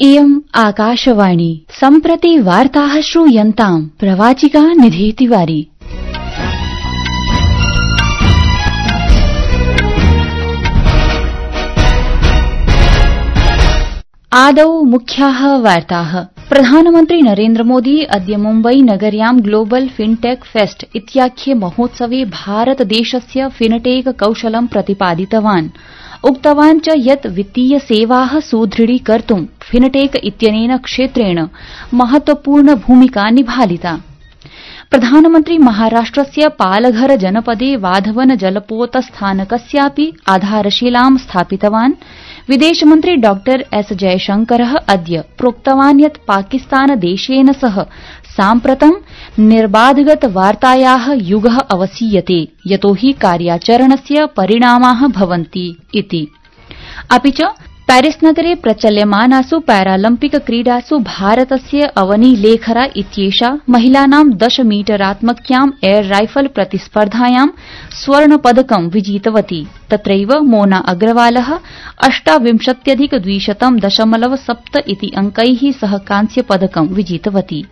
इयम् आकाशवाणी सम्प्रति वार्ताः श्रूयन्ताम् प्रवाचिका निधि तिवारी। आदौ मुख्याः वार्ताः। प्रधानमन्त्री नरेन्द्र मोदी अद्य मुम्बई नगर्यां ग्लोबल फिनटेक फेस्ट इत्याख्ये महोत्सवे भारतदेशस्य फिनटेक कौशलं प्रतिपादितवान्। उक्तवान् च यत् वित्तीय सेवाः सुदृढीकर्तुं फिनटेक इत्यनेन क्षेत्रेण महत्वपूर्ण भूमिका निभालिता। प्रधानमन्त्री महाराष्ट्रस्य पालघर जनपदे वाधवन जलपोतस्थानकस्यापि आधारशिलां स्थापितवान्। विदेशमन्त्री डॉ एस जयशंकरः अद्य प्रोक्तवान् यत् पाकिस्तानदेशेन सह साम्प्रतं निर्बाधगत वार्तायाः युगः अवसीयते, यतो हि कार्याचरणस्य परिणामाः भवन्ति इति। अपि च पेरिसनगरे प्रचल्यमानासु पैरालम्पिक क्रीडासु भारतस्य अवनी लेखरा इत्येषा महिलानां 10 मीटरात्मक्यां एयर राइफल प्रतिस्पर्धायां स्वर्णपदकं विजितवती। तत्रैव मोना अग्रवालः 28,200.7 इति अंकैः सह कांस्यपदकं विजितवती।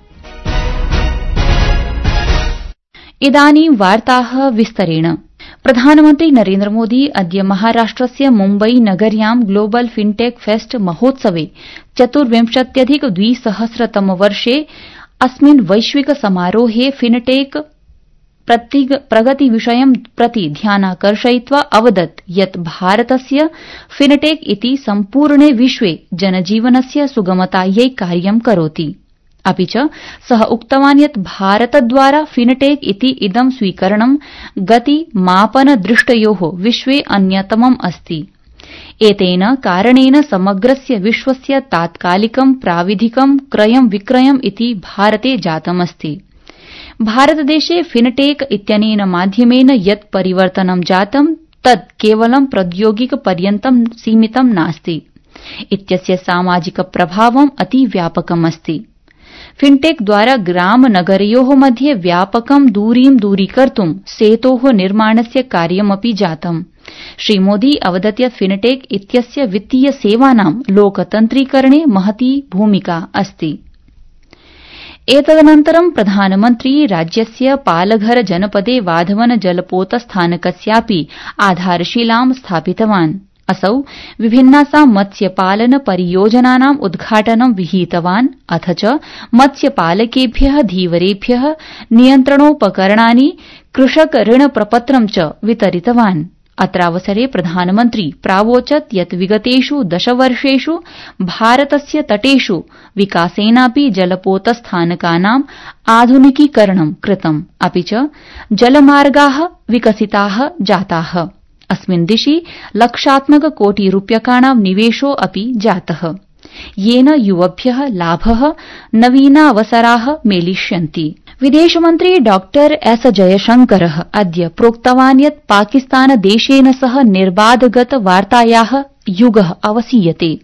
इदानीं वार्ताः विस्तरेण। प्रधानमन्त्री नरेन्द्र मोदी अद्य महाराष्ट्रस्य मुम्बई नगर्यां ग्लोबल फिनटेक फेस्ट महोत्सवे 24,200 वर्षे अस्मिन् वैश्विक समारोहे फिनटेक प्रगतिविषयं प्रति ध्यानाकर्षयित्वा अवदत् यत् भारतस्य फिनटेक इति सम्पूर्णे विश्वे जनजीवनस्य सुगमतायै कार्यं करोति। अपि च सः उक्तवान् यत् भारतद्वारा फिनटेक इति इदं स्वीकरणं गतिमापनदृष्टयोः विश्वे अन्यतमम् अस्ति। एतेन कारणेन समग्रस्य विश्वस्य तात्कालिकं प्राविधिकं क्रयं विक्रयम् इति भारते जातमस्ति। भारतदेशे फिनटेक इत्यनेन माध्यमेन यत् परिवर्तनं जातं तत् केवलं प्रौद्योगिकपर्यन्तं सीमितं नास्ति। इत्यस्य सामाजिक प्रभावम् अतिव्यापकमस्ति। फिनटेक द्वारा ग्राम नगरयोः मध्ये व्यापकं दूरीं दूरीकर्तुं सेतोः निर्माणस्य कार्यमपि जातम्। श्रीमोदी अवदत् यत् फिनटेक इत्यस्य वित्तीय सेवानां लोकतन्त्रीकरणे महती भूमिका अस्ति। एतदनन्तरं प्रधानमन्त्री राज्यस्य पालघर जनपदे वाधवन जलपोतस्थानकस्यापि आधारशिलां स्थापितवान्। असौ विभिन्नासां मत्स्यपालन परियोजनानाम् उद्घाटनं विहितवान्। अथ च मत्स्यपालकेभ्यः धीवरेभ्यः नियन्त्रणोपकरणानि, कृषक ऋण प्रपत्रं च वितरितवान्। अत्रावसरे प्रधानमन्त्री प्रावोचत् यत् विगतेषु 10 वर्षेषु भारतस्य तटेषु विकासेनापि जलपोतस्थानकानाम् आधुनिकीकरणं कृतम्, अपि च जलमार्गाः विकसिताः जाताः। अस्मिन् दिशि लक्षात्मककोटिरूप्यकाणां निवेशो अपि जातः, येन युवभ्यः लाभः, नवीनावसराः मेलिष्यन्ति। विदेशमन्त्री डॉ एस जयशंकरः अद्य प्रोक्तवान् यत् पाकिस्तानदेशेन सह निर्बाधगत वार्तायाः युगः अवसीयते।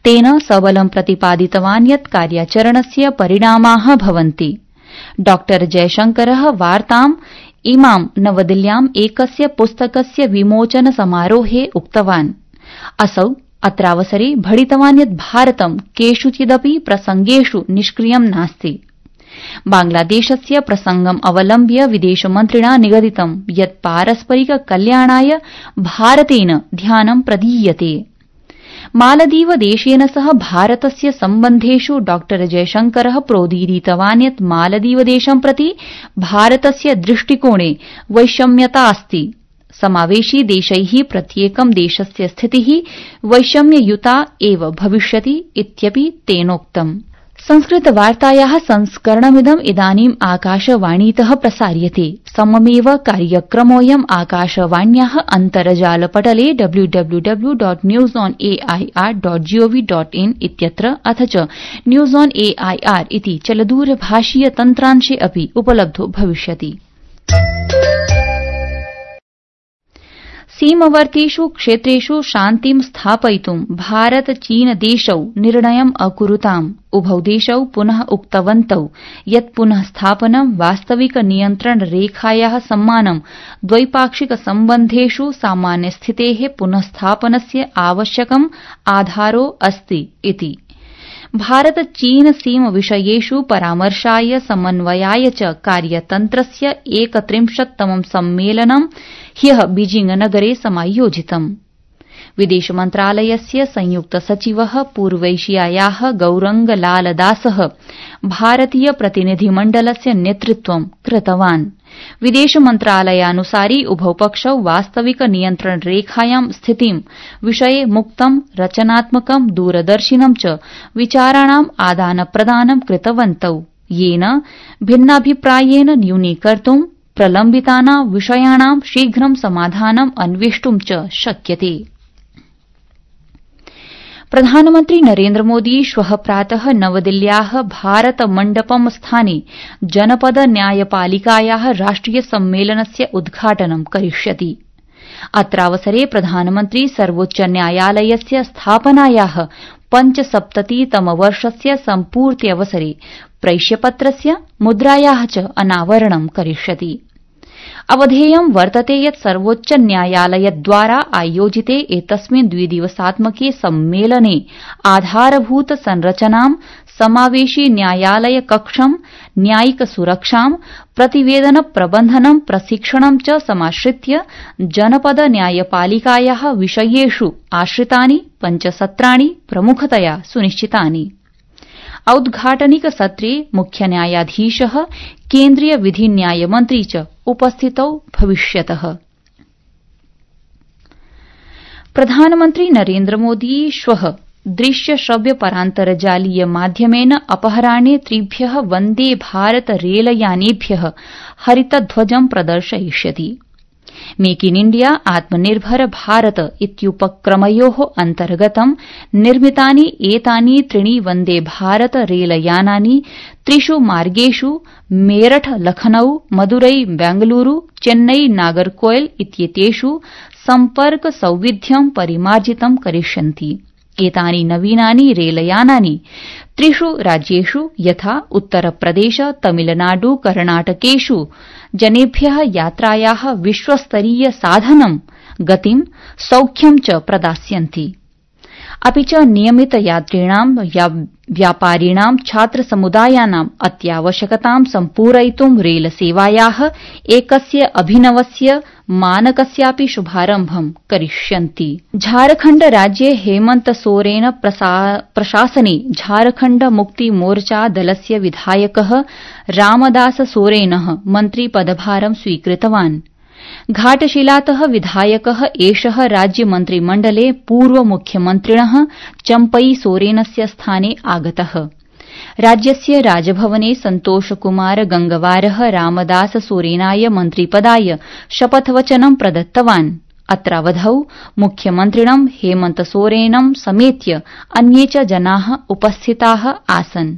तेन सबलं प्रतिपादितवान् यत् कार्याचरणस्य परिणामाः भवन्ति। डॉ जयशंकरः वार्ताम् इमां नवदिल्ल्याम् एकस्य पुस्तकस्य विमोचन समारोहे उक्तवान्। असौ अत्रावसरे भणितवान् यत् भारतं केषुचिदपि प्रसंगेषु निष्क्रियं नास्ति। बांग्लादेशस्य प्रसंगम् अवलम्ब्य विदेशमन्त्रिणा निगदितं यत् पारस्परिक कल्याणाय भारतेन ध्यानं प्रदीयते। मालदीवदेशेन सह भारतस्य सम्बन्धेषु डॉ जयशंकरः प्रोदीरितवान् यत् मालदीवदेशं प्रति भारतस्य दृष्टिकोणे वैषम्यता अस्ति। समावेशी देशैः प्रत्येकं देशस्य स्थितिः वैषम्ययुता एव भविष्यति इत्यपि तेनोक्तम्। संस्कृतवार्तायाः संस्करणमिदम् इदानीम् आकाशवाणीतः प्रसार्यते। सममेव कार्यक्रमोऽयम् आकाशवाण्याः अन्तर्जालपटले www.newsonair.gov.in इत्यत्र अथ च न्यूज ऑन एआईआर इति चलदूरभाषीय तन्त्रांशे अपि उपलब्धो भविष्यति। सीमवर्तीषु क्षेत्रेषु शान्तिं स्थापयितुं भारत चीन देशौ निर्णयम् अकुरुताम्। उभौ देशौ पुनः उक्तवन्तौ यत् पुनः स्थापनं वास्तविक नियन्त्रण रेखायाः सम्मानं द्वैपाक्षिक सम्बन्धेषु सामान्यस्थितेः पुनः स्थापनस्य आवश्यकम् आधारो अस्ति इति। भारत चीन सीम विषयेषु परामर्शाय समन्वयाय च कार्यतन्त्रस्य 31तमं सम्मेलनं ह्यः बीजिंग नगरे समायोजितम्। विदेश मन्त्रालयस्य संयुक्त सचिवः पूर्वैशियायाः गौरंग लाल दासः भारतीय प्रतिनिधिमण्डलस्य नेतृत्वं कृतवान्। विदेश मन्त्रालयानुसारि उभौ पक्षौ वास्तविक नियन्त्रण रेखायां स्थितिं विषये मुक्तं रचनात्मकं दूरदर्शिनं च विचाराणाम् आदान प्रदानं कृतवन्तौ, येन भिन्नाभिप्रायेन न्यूनीकर्तुं प्रलम्बितानां विषयाणां शीघ्रं समाधानम् अन्वेष्टुं च शक्यते। प्रधानमन्त्री नरेन्द्र मोदी श्वः प्रातः नवदिल्ल्याः भारत मण्डपम स्थाने जनपद न्यायपालिकायाः राष्ट्रिय सम्मेलनस्य उद्घाटनं करिष्यति। अत्रावसरे प्रधानमन्त्री सर्वोच्च न्यायालयस्य स्थापनायाः 75तमवर्षस्य सम्पूर्त्यवसरे प्रेष्यपत्रस्य मुद्रायाः च अनावरणं करिष्यति। अवधेयं वर्तते यत् सर्वोच्च न्यायालयद्वारा आयोजिते एतस्मिन् द्विदिवसात्मके सम्मेलने आधारभूत संरचनां, समावेशि न्यायालय कक्षं, न्यायिक सुरक्षां, प्रतिवेदन प्रबन्धनं, प्रशिक्षणं च समाश्रित्य जनपद न्यायपालिकायाः विषयेषु आश्रितानि 5 सत्राणि प्रमुखतया सुनिश्चितानि। औद्घाटनिक सत्रे मुख्य न्यायाधीशः, केन्द्रीय विधि न्याय मन्त्री च उपस्थितौ भविष्यतः। प्रधानमन्त्री नरेन्द्र मोदी श्वः दृश्य श्रव्य परान्तर्जालीय माध्यमेन अपराह्ने 3 Vande Bharat रेलयानेभ्यः हरितध्वजं प्रदर्शयिष्यति। Make in India आत्मनिर्भर भारत इत्युपक्रमयोः अन्तर्गतं निर्मितानि एतानि 3 वन्दे भारत रेलयानानि 3 मार्गेषु मेरठ लखनऊ, मदुरै बेंगलुरू, चेन्नई नागरकोइल इत्येतेषु सम्पर्क सौविध्यं परिमार्जितं करिष्यन्ति। एतानि नवीनानि रेलयानानि 3 राज्येषु यथा उत्तरप्रदेश, तमिलनाडु, कर्णाटकेषु जनेभ्यः यात्रायाः विश्वस्तरीय साधनं, गतिं, सौख्यं च प्रदास्यन्ति। अपि च नियमित यात्रिणां, व्यापारिणां, छात्रसमुदायानाम् अत्यावश्यकतां सम्पूरयितुं रेलसेवायाः एकस्य अभिनवस्य मानकस्यापि शुभारम्भं करिष्यन्ति। झारखण्ड राज्ये हेमन्त सोरेन प्रशासने झारखण्ड मुक्ति मोर्चा दलस्य विधायकः रामदास सोरेनः मन्त्रिपदभारं स्वीकृतवान्। घाटशिलातः विधायकः एषः राज्यमन्त्रिमण्डले पूर्वमुख्यमन्त्रिणः चम्पई सोरेनस्य स्थाने आगतः। राज्यस्य राजभवने सन्तोषकुमार गंगवारः रामदास सोरेनाय मन्त्रिपदाय शपथवचनं प्रदत्तवान्। अत्रावधौ मुख्यमन्त्रिणं हेमन्त सोरेनं समेत्य अन्ये च जनाः उपस्थिताः आसन्।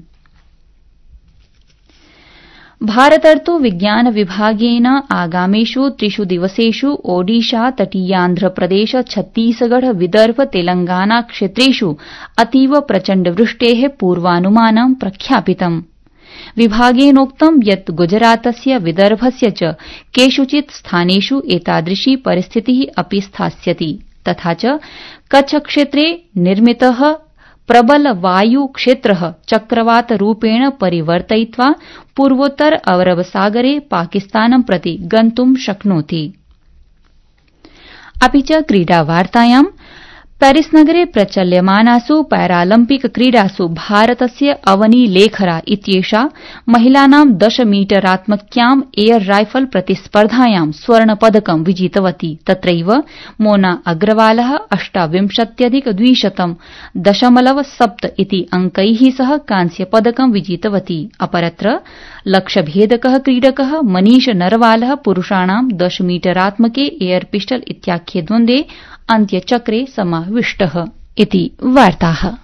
भारतर्तु विज्ञान विभागेन आगामिषु 3 दिवसेषु ओडिशा, तटीयान्ध्रप्रदेश, छत्तीसगढ़, विदर्भ, तेलंगाना क्षेत्रेषु अतीव प्रचण्ड वृष्टेः पूर्वानुमानं प्रख्यापितम्। विभागेनोक्तं यत् गुजरातस्य, विदर्भस्य च केषुचित् स्थानेषु एतादृशी परिस्थितिः अपि स्थास्यति। तथा च कच्छ क्षेत्रे निर्मितः प्रबल वायु क्षेत्रः चक्रवातरूपेण परिवर्तयित्वा पूर्वोत्तर अरब सागरे पाकिस्तानं प्रति गन्तुं शक्नोति। अपि च क्रीडावार्तायां पेरिसनगरे प्रचल्यमानासु पैरालम्पिक क्रीडासु भारतस्य अवनी लेखरा इत्येषा महिलानां 10 मीटरात्मक्याम् एयर राइफल प्रतिस्पर्धायां स्वर्णपदकं विजितवती। तत्रैव मोना अग्रवालः 28,200.7 इति अंकैः सह कांस्यपदकं विजितवती। अपरत्र लक्ष्यभेदकः क्रीडकः मनीष नरवालः पुरुषाणां 10 मीटरात्मके एयर पिस्टल इत्याख्ये द्वन्द्वे अन्त्यचक्रे समाविष्टः। इति वार्ताः।